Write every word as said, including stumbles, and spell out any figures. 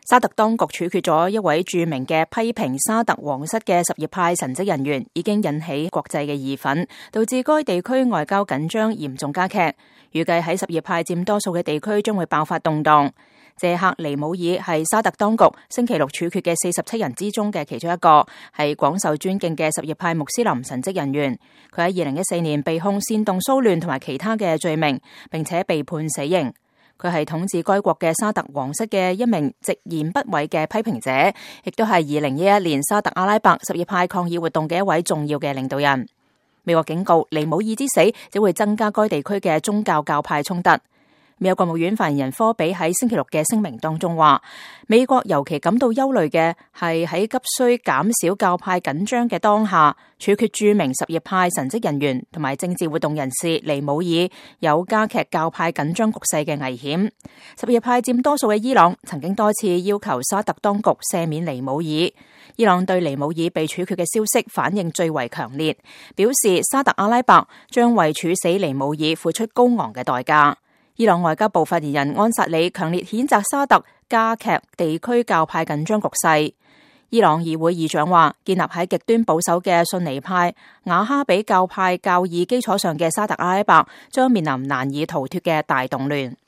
沙特當局處決咗一位著名嘅批評沙特皇室嘅什葉派神職人員，已經引起國際嘅義憤，導致該地區外交緊張嚴重加劇。預計喺什葉派佔多數嘅地區將會爆發動盪。謝克尼姆爾係沙特當局星期六處決嘅四十七人之中嘅其中一個，係廣受尊敬嘅什葉派穆斯林神職人員。佢喺二零一四年被控煽動騷亂同埋其他嘅罪名，並且被判死刑。佢係統治該國嘅沙特皇室嘅一名直言不諱嘅批評者，亦都係二零一一年沙特阿拉伯什葉派抗議活動嘅一位重要嘅領導人。美國警告尼姆爾之死只會增加該地區嘅宗教教派衝突。美國國務院發言人科比喺星期六嘅聲明當中話，美國尤其感到憂慮嘅係喺急需減少教派緊張嘅當下，處決著名什葉派神職人員同埋政治活動人士尼姆爾，有加劇教派緊張局勢嘅危險。什葉派佔多數嘅伊朗曾經多次要求沙特當局赦免尼姆爾。伊朗對尼姆爾被處決嘅消息反應最為強烈，表示沙特阿拉伯將為處死尼姆爾付出高昂嘅代價。伊朗外交部發言人安薩里強烈譴責沙特加劇地區教派緊張局勢。伊朗議會議長話，建立喺極端保守嘅遜尼派瓦哈比教派教義基礎上嘅沙特阿拉伯將面臨難以逃脫嘅大動亂。